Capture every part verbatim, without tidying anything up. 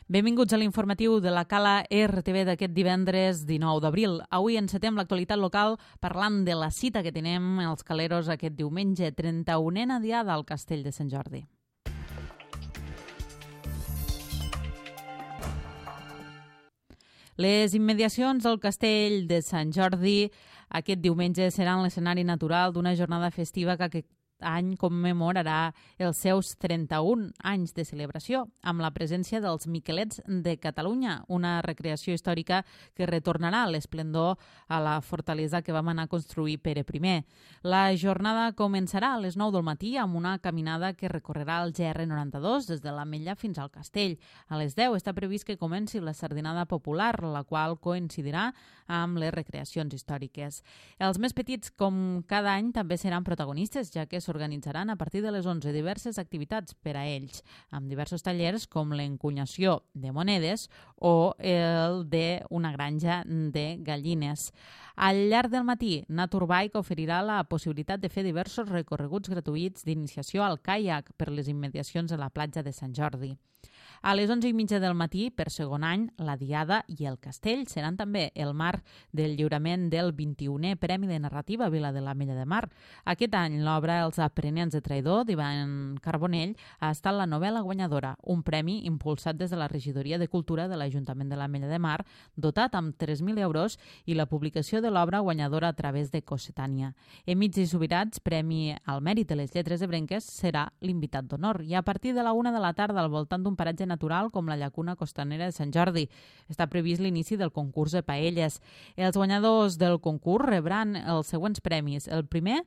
Benvinguts a l'informatiu de la Cala R T V d'aquest divendres dinou d'abril. Avui encetem l'actualitat local parlant de la cita que tenim els caleros aquest diumenge, trenta-unena diada al Castell de Sant Jordi. Les immediacions del Castell de Sant Jordi aquest diumenge seran l'escenari natural d'una jornada festiva que aquest any commemorarà els seus trenta-un anys de celebració, amb la presència dels Miquelets de Catalunya, una recreació històrica que retornarà l'esplendor a la fortalesa que vam anar a construir Pere primer. La jornada començarà a les nou del matí amb una caminada que recorrerà el G R noranta-dos des de l'Ametlla fins al Castell. A les deu està previst que comenci la sardinada popular, la qual coincidirà amb les recreacions històriques. Els més petits, com cada any, també seran protagonistes, ja que s'organitzaran a partir de les onze diverses activitats per a ells, amb diversos tallers com l'encunyació de monedes o el d'una granja de gallines. Al llarg del matí, Naturbike oferirà la possibilitat de fer diversos recorreguts gratuïts d'iniciació al caiac per les immediacions de la platja de Sant Jordi. A les onze i mitja del matí, per segon any, la Diada i el Castell seran també el marc del lliurament del vint-i-unè Premi de Narrativa Vila de l'Ametlla de Mar. Aquest any, l'obra Els aprenents de traïdor d'Ivan Carbonell ha estat la novel·la guanyadora, un premi impulsat des de la Regidoria de Cultura de l'Ajuntament de l'Ametlla de Mar, dotat amb tres mil euros i la publicació de l'obra guanyadora a través de Cossetània. Emits i Subirats, Premi al Mèrit de les Lletres Ebrenques, serà l'invitat d'honor. I a partir de la una de la tarda, al voltant d'un paratge natural com la llacuna costanera de Sant Jordi, està previst l'inici del concurs de paelles. Els guanyadors del concurs rebran els següents premis. El primer,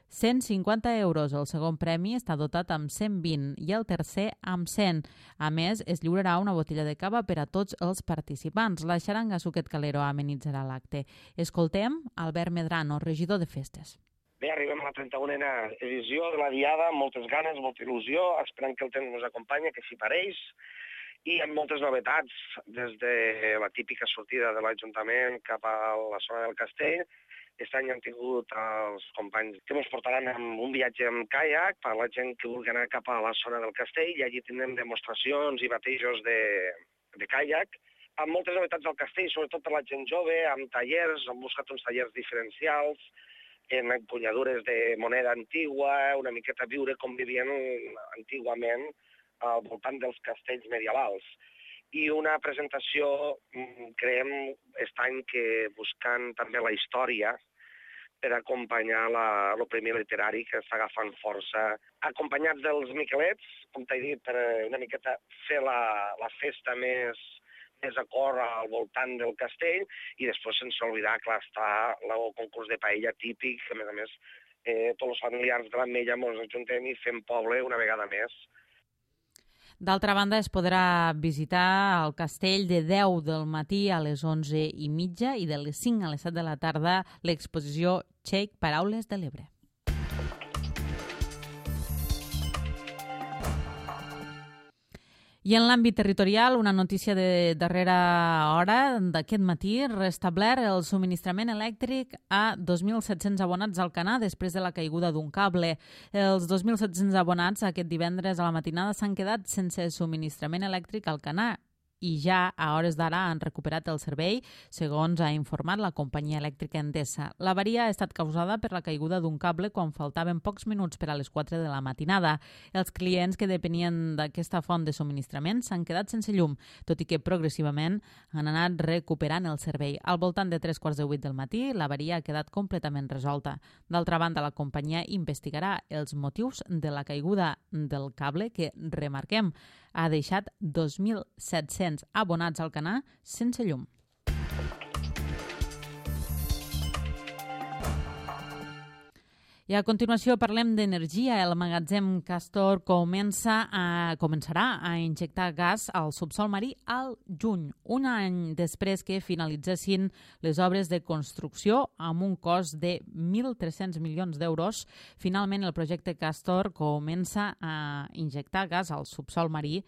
cent cinquanta euros. El segon premi està dotat amb cent vint i el tercer amb cent. A més, es lliurarà una botella de cava per a tots els participants. La xaranga Suquet Calero amenitzarà l'acte. Escoltem Albert Medrano, regidor de Festes. Bé, arribem a la trenta-unena edició de la Diada, amb moltes ganes, molta il·lusió, esperant que el temps ens acompanyi, que s'hi pareix, i amb moltes novetats, des de la típica sortida de l'Ajuntament cap a la zona del Castell. Aquest any hem tingut els companys que ens portaran en un viatge amb caiac per a la gent que vulgui anar cap a la zona del Castell, i allí tindrem demostracions i batejos de, de caiac, amb moltes novetats al Castell, sobretot per la gent jove, amb tallers, hem buscat uns tallers diferencials, en empunyadures de moneda antigua, una miqueta viure com vivien antigament al voltant dels castells medievals. I una presentació, creiem, aquest any que buscant també la història per acompanyar el premi literari que està agafant força, acompanyats dels Miquelets, com t'he dit, per una miqueta fer la, la festa més... més a cor al voltant del castell, i després sense oblidar, clar, està el concurs de paella típic, que a més a més eh, tots els familiars de l'Ametlla ens ajuntem i fem poble una vegada més. D'altra banda, es podrà visitar el castell de deu del matí a les onze i mitja i de les cinc a les set de la tarda l'exposició Txec Paraules de l'Ebre. I en l'àmbit territorial, una notícia de darrera hora d'aquest matí, restablert el subministrament elèctric a dos mil set-cents abonats al Canà després de la caiguda d'un cable. Els dos mil set-cents abonats aquest divendres a la matinada s'han quedat sense subministrament elèctric al Canà i ja a hores d'ara han recuperat el servei, segons ha informat la companyia elèctrica Endesa. L'avaria ha estat causada per la caiguda d'un cable quan faltaven pocs minuts per a les quatre de la matinada. Els clients que depenien d'aquesta font de subministrament s'han quedat sense llum, tot i que progressivament han anat recuperant el servei. Al voltant de tres quarts de vuit del matí, l'avaria ha quedat completament resolta. D'altra banda, la companyia investigarà els motius de la caiguda del cable que, remarquem, ha deixat dos mil set-cents abonats al Canà sense llum. I a continuació parlem d'energia. El magatzem Castor comença a, començarà a injectar gas al subsol marí al juny, un any després que finalitzessin les obres de construcció amb un cost de mil tres-cents milions d'euros. Finalment, el projecte Castor comença a injectar gas al subsol marí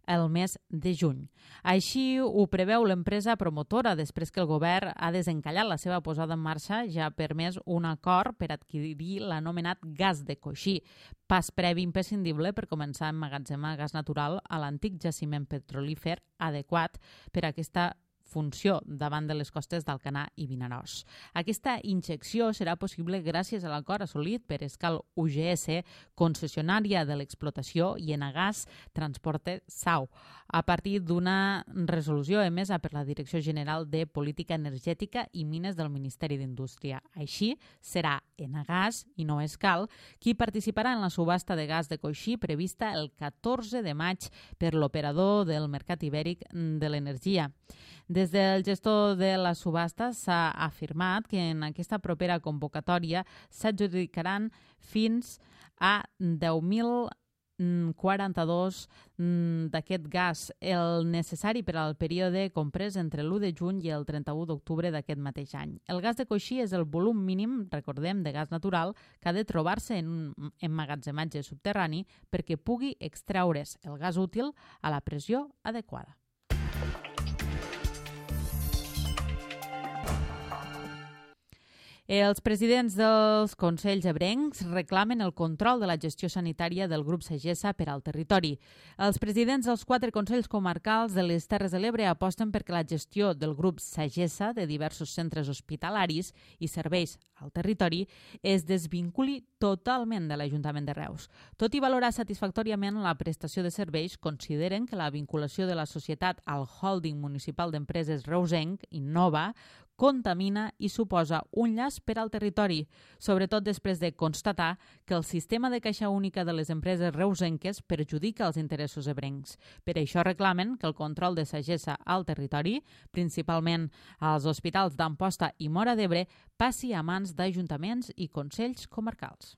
el mes de juny. Així ho preveu l'empresa promotora després que el govern ha desencallat la seva posada en marxa, ja ha permès un acord per adquirir l'anomenat gas de coixí, pas previ imprescindible per començar a emmagatzemar gas natural a l'antic jaciment petrolífer adequat per a aquesta funció davant de les costes d'Alcanar i Vinaròs. Aquesta injecció serà possible gràcies a l'acord assolit per Escal U G S, concessionària de l'explotació, i Enagás Transporte Sau, a partir d'una resolució emesa per la Direcció General de Política Energètica i Mines del Ministeri d'Indústria. Així, serà Enagás, i no Escal, qui participarà en la subhasta de gas de coixí prevista el catorze de maig per l'operador del mercat ibèric de l'energia. Des del gestor de la subhasta s'ha afirmat que en aquesta propera convocatòria s'adjudicaran fins a deu mil quaranta-dos d'aquest gas, el necessari per al període comprès entre l'u de juny i el trenta-u d'octubre d'aquest mateix any. El gas de coixí és el volum mínim, recordem, de gas natural que ha de trobar-se en un emmagatzematge subterrani perquè pugui extraure's el gas útil a la pressió adequada. Els presidents dels consells ebrencs reclamen el control de la gestió sanitària del grup Sagessa per al territori. Els presidents dels quatre consells comarcals de les Terres de l'Ebre aposten perquè la gestió del grup Sagessa de diversos centres hospitalaris i serveis al territori es desvinculi totalment de l'Ajuntament de Reus. Tot i valorar satisfactòriament la prestació de serveis, consideren que la vinculació de la societat al Holding Municipal d'Empreses Reusenc, Innova, contamina i suposa un llaç per al territori, sobretot després de constatar que el sistema de caixa única de les empreses reusenques perjudica els interessos ebrencs. Per això reclamen que el control de Sagessa al territori, principalment als hospitals d'Amposta i Móra d'Ebre, passi a mans d'ajuntaments i consells comarcals.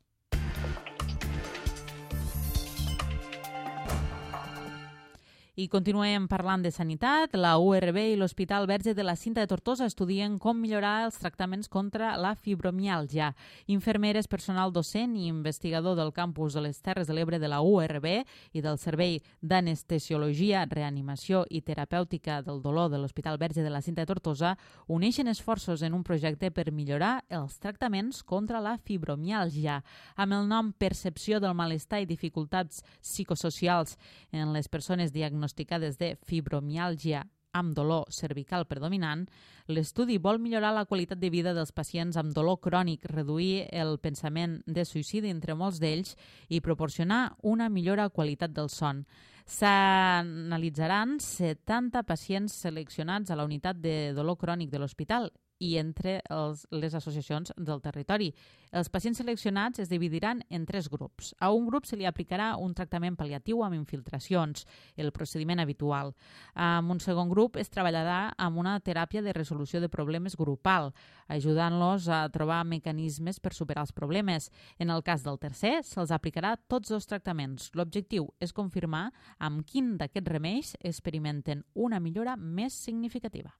I continuem parlant de sanitat. La U R B i l'Hospital Verge de la Cinta de Tortosa estudien com millorar els tractaments contra la fibromiàlgia. Infermeres, personal docent i investigador del campus de les Terres de l'Ebre de la U R B i del Servei d'Anestesiologia, Reanimació i Terapèutica del Dolor de l'Hospital Verge de la Cinta de Tortosa uneixen esforços en un projecte per millorar els tractaments contra la fibromiàlgia. Amb el nom Percepció del malestar i dificultats psicosocials en les persones diagnosticades diagnosticades de fibromiàlgia amb dolor cervical predominant, l'estudi vol millorar la qualitat de vida dels pacients amb dolor crònic, reduir el pensament de suïcidi entre molts d'ells i proporcionar una millora qualitat del son. S'analitzaran setanta pacients seleccionats a la unitat de dolor crònic de l'hospital i entre els, les associacions del territori. Els pacients seleccionats es dividiran en tres grups. A un grup se li aplicarà un tractament pal·liatiu amb infiltracions, el procediment habitual. En un segon grup es treballarà amb una teràpia de resolució de problemes grupal, ajudant-los a trobar mecanismes per superar els problemes. En el cas del tercer, se'ls aplicarà tots dos tractaments. L'objectiu és confirmar amb quin d'aquests remeis experimenten una millora més significativa.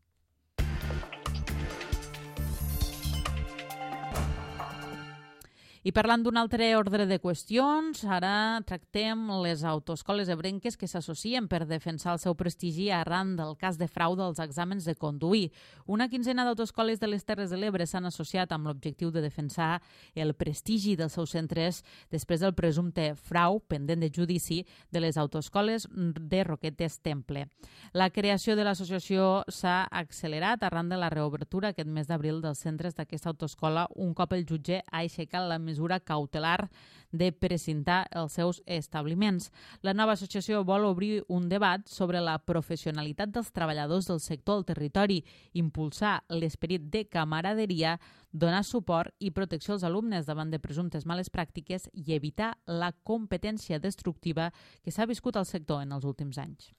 I parlant d'un altre ordre de qüestions, ara tractem les autoescoles ebrenques que s'associen per defensar el seu prestigi arran del cas de frau dels exàmens de conduir. Una quinzena d'autoescoles de les Terres de l'Ebre s'han associat amb l'objectiu de defensar el prestigi dels seus centres després del presumpte frau pendent de judici de les autoescoles de Roquetes Temple. La creació de l'associació s'ha accelerat arran de la reobertura aquest mes d'abril dels centres d'aquesta autoescola un cop el jutge ha aixecat la mesura cautelar de precintar els seus establiments. La nova associació vol obrir un debat sobre la professionalitat dels treballadors del sector al territori, impulsar l'esperit de camaraderia, donar suport i protecció als alumnes davant de presumptes males pràctiques i evitar la competència destructiva que s'ha viscut al sector en els últims anys.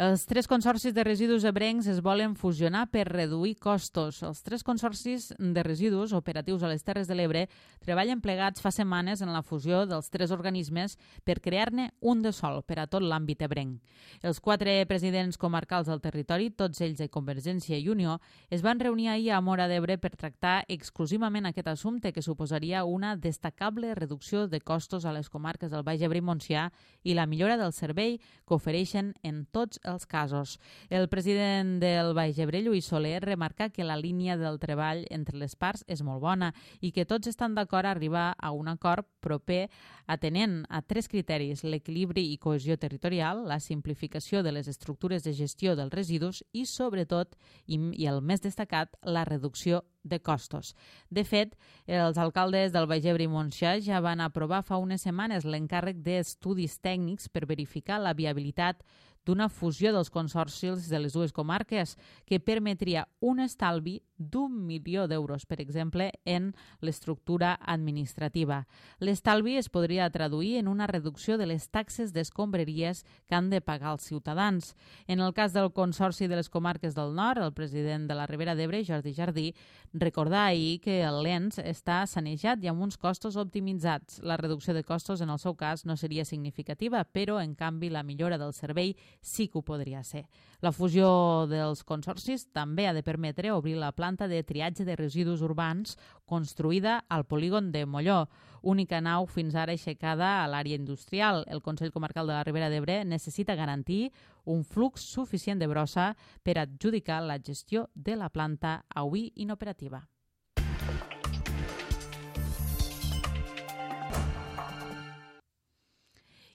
Els tres consorcis de residus ebrencs es volen fusionar per reduir costos. Els tres consorcis de residus operatius a les Terres de l'Ebre treballen plegats fa setmanes en la fusió dels tres organismes per crear-ne un de sol per a tot l'àmbit ebrenc. Els quatre presidents comarcals del territori, tots ells de Convergència i Unió, es van reunir ahir a Móra d'Ebre per tractar exclusivament aquest assumpte que suposaria una destacable reducció de costos a les comarques del Baix Ebre i Montsià i la millora del servei que ofereixen en tots els casos. El president del Baix Ebre, Lluís Soler, remarca que la línia del treball entre les parts és molt bona i que tots estan d'acord a arribar a un acord proper atenent a tres criteris: l'equilibri i cohesió territorial, la simplificació de les estructures de gestió dels residus i, sobretot, i, i el més destacat, la reducció de costos. De fet, els alcaldes del Baix Ebre i Montsià ja van aprovar fa unes setmanes l'encàrrec d'estudis tècnics per verificar la viabilitat d'una fusió dels consorcis de les dues comarques que permetria un estalvi d'un milió d'euros, per exemple, en l'estructura administrativa. L'estalvi es podria traduir en una reducció de les taxes d'escombraries que han de pagar els ciutadans. En el cas del Consorci de les Comarques del Nord, el president de la Ribera d'Ebre, Jordi Jardí, recordà ahir que el Lens està sanejat i amb uns costos optimitzats. La reducció de costos, en el seu cas, no seria significativa, però, en canvi, la millora del servei sí que ho podria ser. La fusió dels consorcis també ha de permetre obrir la planta de triatge de residus urbans construïda al polígon de Molló, única nau fins ara aixecada a l'àrea industrial. El Consell Comarcal de la Ribera d'Ebre necessita garantir un flux suficient de brossa per adjudicar la gestió de la planta avui inoperativa.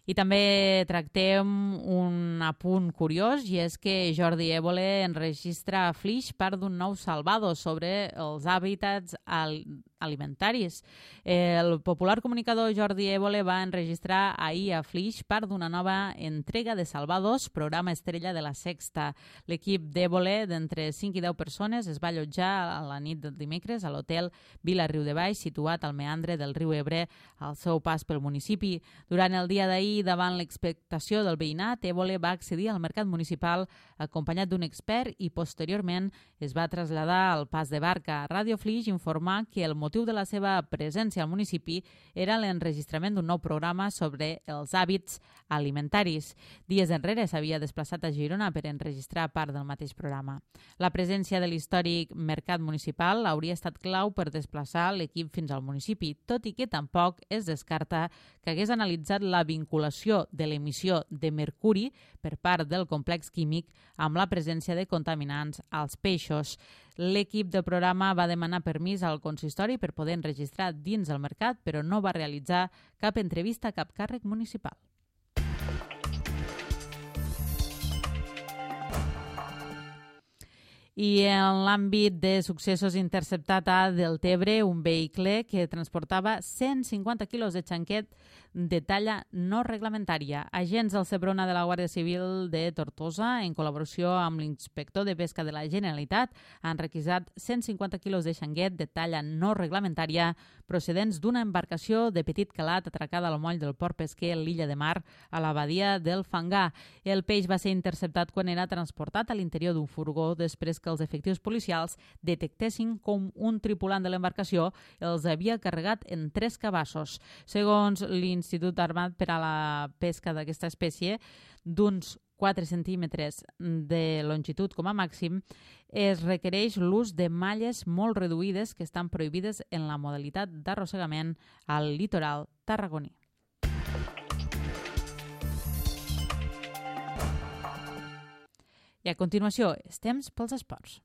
I també tractem un apunt curiós, i és que Jordi Évole enregistra a Flix part d'un nou salvado sobre els hàbitats alimentaris. El popular comunicador Jordi Évole va enregistrar ahir a Flix part d'una nova entrega de Salvados, programa estrella de la Sexta. L'equip d'Évole, d'entre cinc i deu persones, es va allotjar a la nit del dimecres a l'hotel Vila Riu de Baix, situat al meandre del riu Ebre, al seu pas pel municipi. Durant el dia d'ahir, davant l'expectació del veïnat, Évole va accedir al mercat municipal acompanyat d'un expert i posteriorment es va traslladar al pas de barca. Ràdio Flix informa que el motiu de la seva presència al municipi era l'enregistrament d'un nou programa sobre els hàbits alimentaris. Dies enrere s'havia desplaçat a Girona per enregistrar part del mateix programa. La presència de l'històric mercat municipal hauria estat clau per desplaçar l'equip fins al municipi, tot i que tampoc es descarta que hagués analitzat la vinculació de l'emissió de mercuri per part del complex químic amb la presència de contaminants als peixos. L'equip del programa va demanar permís al consistori per poder enregistrar dins el mercat, però no va realitzar cap entrevista a cap càrrec municipal. I en l'àmbit de successos, interceptat a Deltebre un vehicle que transportava cent cinquanta quilos de xanquet de talla no reglamentària. Agents del Seprona de la Guàrdia Civil de Tortosa, en col·laboració amb l'inspector de pesca de la Generalitat, han requisat cent cinquanta quilos de xanguet de talla no reglamentària procedents d'una embarcació de petit calat atracada al moll del port pesquer a l'illa de Mar, a la badia del Fangar. El peix va ser interceptat quan era transportat a l'interior d'un furgó després que els efectius policials detectessin com un tripulant de l'embarcació els havia carregat en tres cabassos. Segons l'Institut Armat per a la Pesca d'aquesta espècie, d'uns quatre centímetres de longitud com a màxim, es requereix l'ús de malles molt reduïdes que estan prohibides en la modalitat d'arrossegament al litoral tarragoní. I a continuació, és temps pels esports.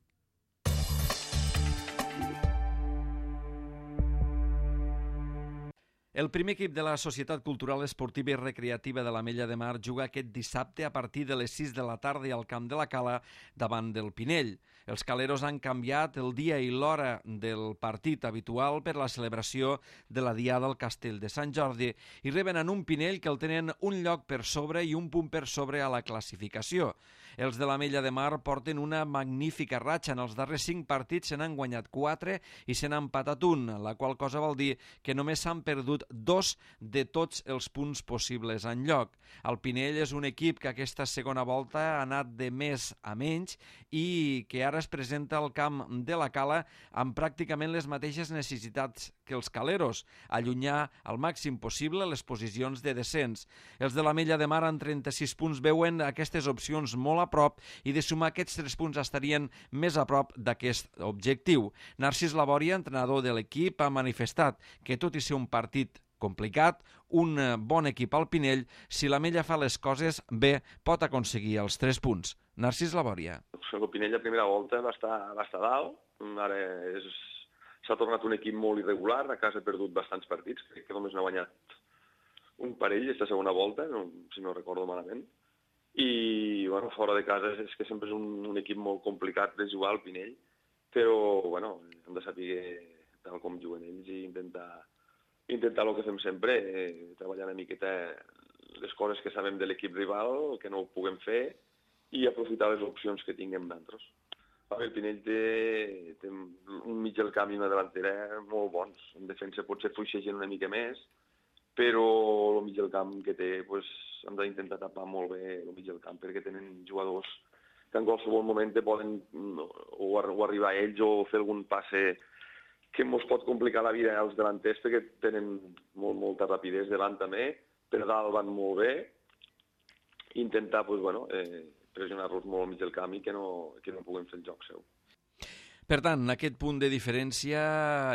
El primer equip de la Societat Cultural Esportiva i Recreativa de l'Ametlla de Mar juga aquest dissabte a partir de les sis de la tarda al Camp de la Cala davant del Pinell. Els caleros han canviat el dia i l'hora del partit habitual per la celebració de la Diada al Castell de Sant Jordi i reben en un Pinell que el tenen un lloc per sobre i un punt per sobre a la classificació. Els de l'Ametlla de Mar porten una magnífica ratxa. En els darrers cinc partits se n'han guanyat quatre i se n'ha empatat un, la qual cosa vol dir que només s'han perdut obtingut dos de tots els punts possibles en lloc. El Pinell és un equip que aquesta segona volta ha anat de més a menys i que ara es presenta al camp de la Cala amb pràcticament les mateixes necessitats que els caleros, allunyar al màxim possible les posicions de descens. Els de l'Ametlla de Mar amb trenta-sis punts veuen aquestes opcions molt a prop i de sumar aquests tres punts estarien més a prop d'aquest objectiu. Narcís Labòria, entrenador de l'equip, ha manifestat que tot i ser un partit complicat, un bon equip al Pinell, si l'Ametlla fa les coses bé, pot aconseguir els tres punts. Narcís Labòria. El Pinell a primera volta va estar, va estar dalt, ara és, s'ha tornat un equip molt irregular, a casa ha perdut bastants partits, crec que només n'ha guanyat un parell aquesta segona volta, no, si no recordo malament, i bueno, fora de casa és que sempre és un, un equip molt complicat de jugar al Pinell, però bueno, hem de saber tal com juguen ells i intentar intentar el que fem sempre, eh, treballar una miqueta les coses que sabem de l'equip rival, que no ho puguem fer, i aprofitar les opcions que tinguem d'altres. El Pinell té, té un mig del camp i una delantera molt bons. En defensa potser fluixegen una mica més, però el mig del camp que té pues, hem d'intentar tapar molt bé el mig del camp, perquè tenen jugadors que en qualsevol moment poden o, o arribar a ells o fer algun passe que ens pot complicar la vida als delanters perquè tenen molt, molta rapidesa davant també, per dalt van molt bé, intentar pues, bueno, eh, pressionar-los molt al mig del camp i que no, que no puguem fer el joc seu. Per tant, aquest punt de diferència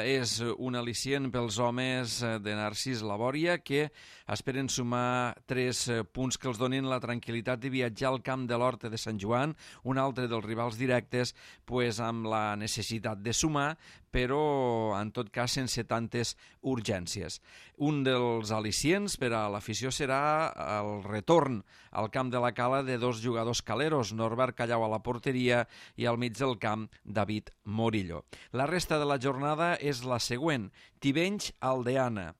és un al·licient pels homes de Narcís Labòria que esperen sumar tres punts que els donin la tranquil·litat de viatjar al camp de l'Horta de Sant Joan, un altre dels rivals directes, pues, amb la necessitat de sumar, però en tot cas sense tantes urgències. Un dels al·licients per a l'afició serà el retorn al camp de la Cala de dos jugadors caleros, Norbert Callau a la porteria i al mig del camp David Morillo. La resta de la jornada és la següent: Tivenys Aldeana,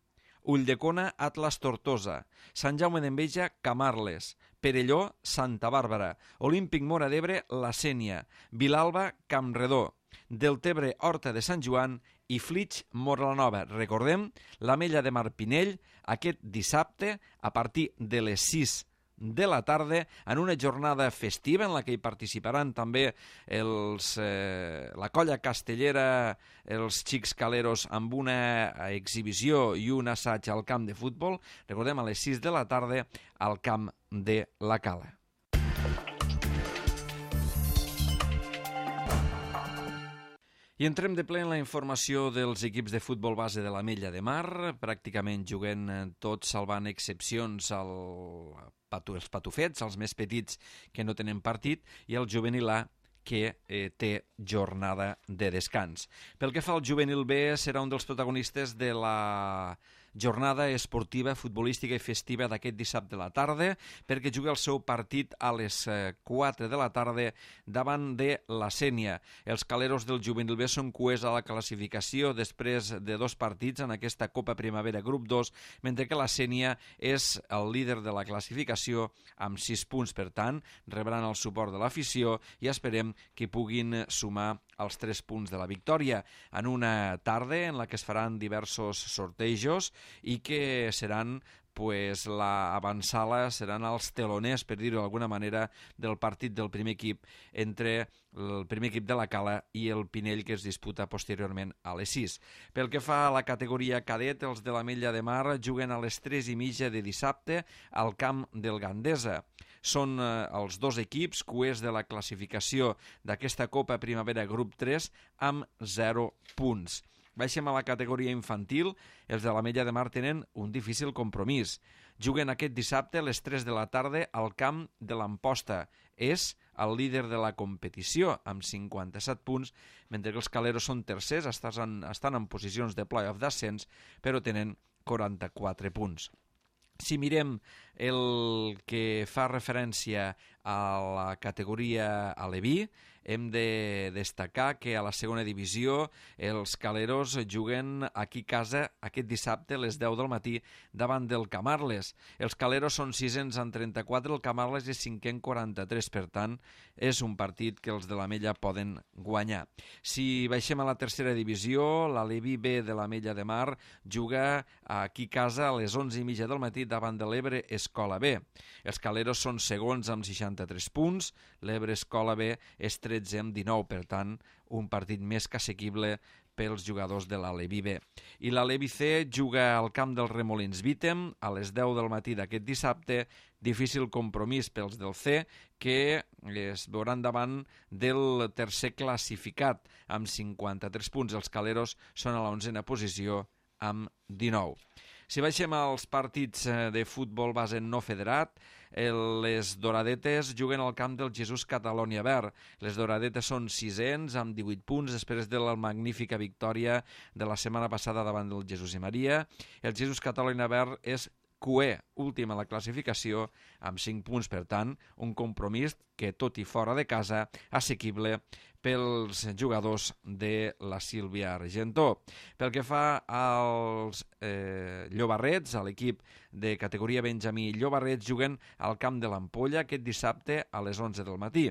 Ulldecona Atlas Tortosa, Sant Jaume d'Enveja Camarles, Perelló Santa Bàrbara, Olímpic Móra d'Ebre La Sénia, Vilalba Campredó, Deltebre Horta de Sant Joan i Flix Moralanova. Recordem, l'Ametlla de Mar Pinell aquest dissabte a partir de les sis de la tarda en una jornada festiva en la que hi participaran també els, eh, la colla castellera, els xics caleros amb una exhibició i un assaig al camp de futbol. Recordem, a les sis de la tarda al camp de la Cala. I entrem de ple en la informació dels equips de futbol base de l'Ametlla de Mar, pràcticament juguen tots, salvant excepcions al patu, els patufets, els més petits que no tenen partit, i el juvenil A que eh, té jornada de descans. Pel que fa al juvenil B, serà un dels protagonistes de la jornada esportiva, futbolística i festiva d'aquest dissabte de la tarda, perquè juga el seu partit a les quatre de la tarda davant de la Sénia. Els caleros del juvenil B són cuers a la classificació després de dos partits en aquesta Copa Primavera Grup dos, mentre que la Sénia és el líder de la classificació amb sis punts. Per tant, rebran el suport de l'afició i esperem que puguin sumar els tres punts de la victòria en una tarda en la que es faran diversos sortejos i que seran pues, la avançala, seran els teloners, per dir-ho d'alguna manera, del partit del primer equip entre el primer equip de la Cala i el Pinell, que es disputa posteriorment a les sis. Pel que fa a la categoria cadet, els de l'Ametlla de Mar juguen a les tres i mitja de dissabte al camp del Gandesa. Són eh, els dos equips cuers de la classificació d'aquesta Copa Primavera Grup tres amb zero punts. Baixem a la categoria infantil. Els de l'Ametlla de Mar tenen un difícil compromís. Juguen aquest dissabte a les tres de la tarda al camp de l'Amposta. És el líder de la competició amb cinquanta-set punts, mentre que els caleros són tercers, estan, estan en posicions de play-off d'ascens, però tenen quaranta-quatre punts. Si mirem el que fa referència a la categoria aleví. Hem de destacar que a la segona divisió els caleros juguen aquí a casa aquest dissabte a les deu del matí davant del Camarles. Els caleros són sisens en trenta-quatre, el Camarles és cinquè en quaranta-tres, per tant, és un partit que els de l'Ametlla poden guanyar. Si baixem a la tercera divisió, l'Aleví B de l'Ametlla de Mar juga aquí a casa a les onze i mitja del matí davant de l'Ebre Escola B. Els caleros són segons amb seixanta-tres punts, l'Ebre Escola B és tretze amb dinou, per tant, un partit més que assequible pels jugadors de l'Aleví B. I l'Aleví C juga al camp del Remolins Vítem a les deu del matí d'aquest dissabte. Difícil compromís pels del C, que es veuran davant del tercer classificat amb cinquanta-tres punts. Els caleros són a l'onzena posició amb dinou. Si baixem als partits de futbol base no federat, les Doradetes juguen al camp del Jesús Catalònia Verd. Les Doradetes són sisens amb divuit punts després de la magnífica victòria de la setmana passada davant del Jesús i Maria. El Jesús Catalònia Verd és Q E, últim a la classificació, amb cinc punts, per tant, un compromís que, tot i fora de casa, assequible pels jugadors de la Sílvia Argentó. Pel que fa als eh, Llobarrets, a l'equip de categoria Benjamí Llobarrets, juguen al camp de l'Ampolla aquest dissabte a les onze del matí.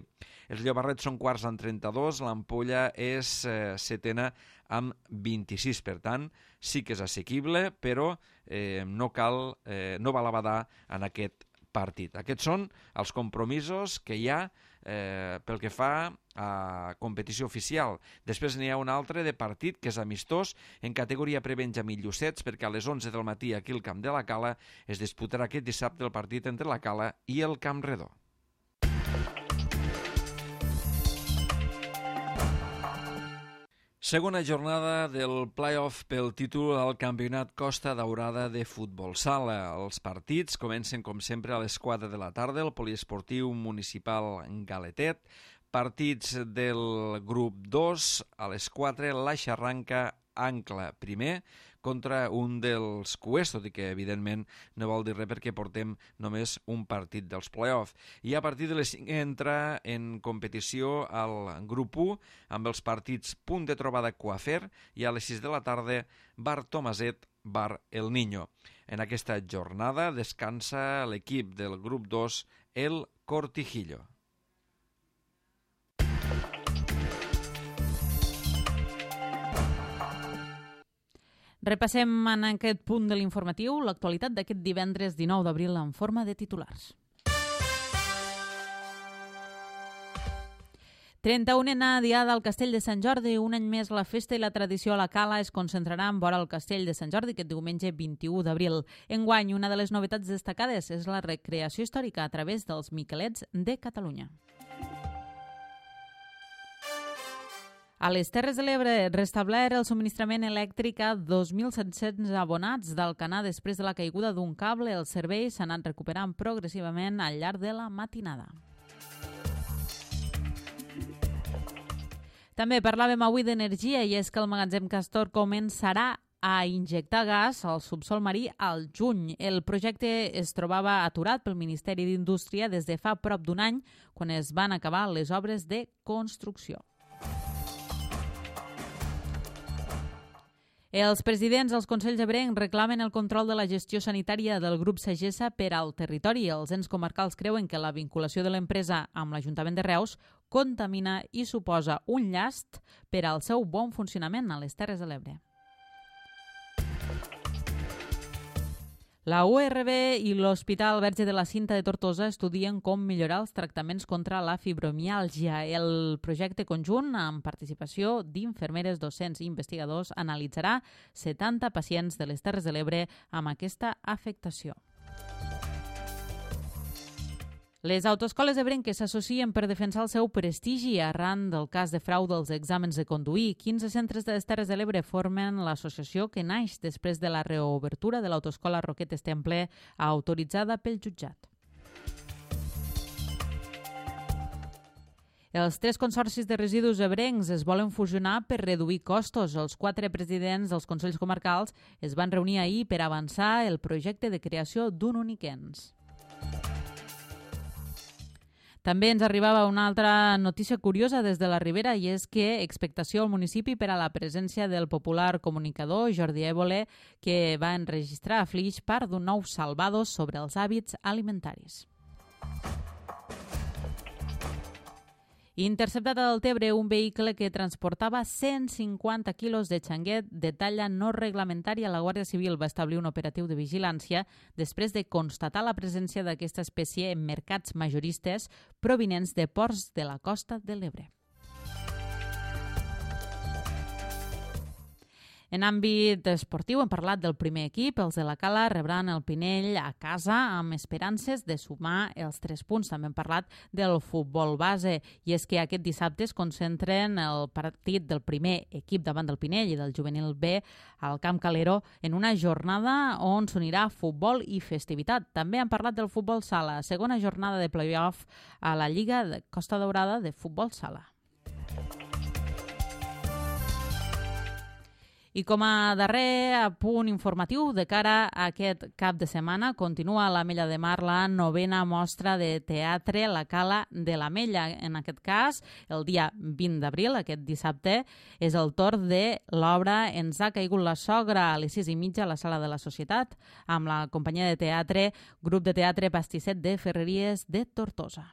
Els Llobarrets són quarts amb trenta-dos, l'Ampolla és eh, setena amb vint-i-sis, per tant, sí que és assequible, però eh, no cal, eh, no val abadar en aquest partit. Aquests són els compromisos que hi ha eh, pel que fa a competició oficial. Després n'hi ha un altre de partit que és amistós en categoria pre-Benjamí Llucets, perquè a les onze del matí aquí al Camp de la Cala es disputarà aquest dissabte el partit entre la Cala i el Camp Redó. Segona jornada del play-off pel títol al Campionat Costa Daurada de Futbol Sala. Els partits comencen, com sempre, a les quatre de la tarda, el Poliesportiu Municipal Galetet. Partits del grup dos, a les quatre, la Xarranca Ancla primer, contra un dels cuers, tot i que evidentment no vol dir res perquè portem només un partit dels play-off. I a partir de les cinc entra en competició al grup u amb els partits Punt de Trobada Coafer i a les sis de la tarda Bar Tomaset, Bar El Niño. En aquesta jornada descansa l'equip del grup dos, el Cortijillo. Repassem en aquest punt de l'informatiu l'actualitat d'aquest divendres dinou d'abril en forma de titulars. trenta-unena diada al Castell de Sant Jordi. Un any més la festa i la tradició a la Cala es concentraran vora el Castell de Sant Jordi aquest diumenge vint-i-u d'abril. Enguany, una de les novetats destacades és la recreació històrica a través dels Miquelets de Catalunya. A les Terres de l'Ebre, restablert el subministrament elèctric a dos mil set-cents abonats d'Alcanar després de la caiguda d'un cable. El servei s'ha anat recuperant progressivament al llarg de la matinada. També parlàvem avui d'energia i és que el magatzem Castor començarà a injectar gas al subsol marí al juny. El projecte es trobava aturat pel Ministeri d'Indústria des de fa prop d'un any, quan es van acabar les obres de construcció. Els presidents dels Consells Ebrencs reclamen el control de la gestió sanitària del grup Sagessa per al territori. Els ens comarcals creuen que la vinculació de l'empresa amb l'Ajuntament de Reus contamina i suposa un llast per al seu bon funcionament a les Terres de l'Ebre. La U R B i l'Hospital Verge de la Cinta de Tortosa estudien com millorar els tractaments contra la fibromiàlgia. El projecte conjunt, amb participació d'infermeres, docents i investigadors, analitzarà setanta pacients de les Terres de l'Ebre amb aquesta afectació. Les autoescoles ebrenques s'associen per defensar el seu prestigi arran del cas de frau dels exàmens de conduir. quinze centres de les Terres de l'Ebre formen l'associació que naix després de la reobertura de l'autoescola Roquetes Temple, autoritzada pel jutjat. Els tres consorcis de residus ebrencs es volen fusionar per reduir costos. Els quatre presidents dels Consells Comarcals es van reunir ahir per avançar el projecte de creació d'un únic ens. També ens arribava una altra notícia curiosa des de la Ribera i és que expectació al municipi per a la presència del popular comunicador Jordi Évole, que va enregistrar a Flix part d'un nou Salvados sobre els hàbits alimentaris. Interceptat al Tebre un vehicle que transportava cent cinquanta quilos de xanguet de talla no reglamentària. La Guàrdia Civil va establir un operatiu de vigilància després de constatar la presència d'aquesta espècie en mercats majoristes provinents de ports de la costa de l'Ebre. En àmbit esportiu hem parlat del primer equip. Els de la Cala rebran el Pinell a casa amb esperances de sumar els tres punts. També hem parlat del futbol base i és que aquest dissabte es concentren el partit del primer equip davant del Pinell i del juvenil B al Camp Calero en una jornada on s'unirà futbol i festivitat. També hem parlat del futbol sala, segona jornada de play-off a la Lliga de Costa Daurada de futbol sala. I com a darrer punt informatiu de cara a aquest cap de setmana, continua a l'Ametlla de Mar la novena mostra de teatre La Cala de l'Ametlla. En aquest cas, el dia vint d'abril, aquest dissabte, és el torn de l'obra Ens ha caigut la sogra a les sis i mitja a la Sala de la Societat, amb la companyia de teatre Grup de Teatre Pastisset de Ferreries de Tortosa.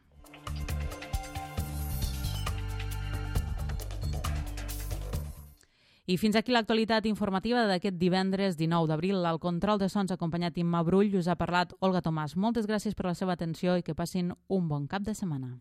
I fins aquí l'actualitat informativa d'aquest divendres dinou d'abril. Al control de sons acompanyat Imma Brull us ha parlat Olga Tomàs. Moltes gràcies per la seva atenció i que passin un bon cap de setmana.